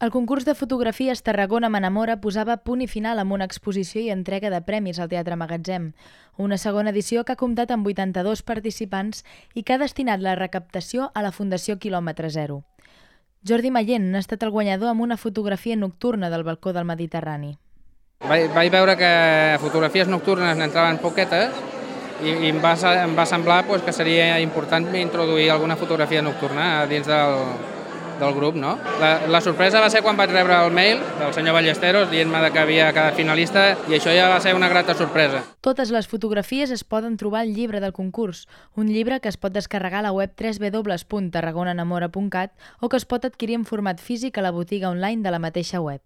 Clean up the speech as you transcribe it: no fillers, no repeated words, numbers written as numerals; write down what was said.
El concurs de fotografies Tarragona m'enamora posava punt i final amb una exposició i entrega de premis al Teatre Magatzem, una segona edició que ha comptat amb 82 participants i que ha destinat la recaptació a la Fundació Quilòmetre Zero. Jordi Mayent n'ha estat el guanyador amb una fotografia nocturna del balcó del Mediterrani. Vaig veure que fotografies nocturnes n'entraven poquetes i em va semblar que seria important introduir alguna fotografia nocturna dins del grup, no? La sorpresa va ser quan vaig rebre el mail del senyor Ballesteros dient-me que havia quedat finalista i això ja va ser una grata sorpresa. Totes les fotografies es poden trobar al llibre del concurs, un llibre que es pot descarregar a la web www.tarragonanamora.cat o que es pot adquirir en format físic a la botiga online de la mateixa web.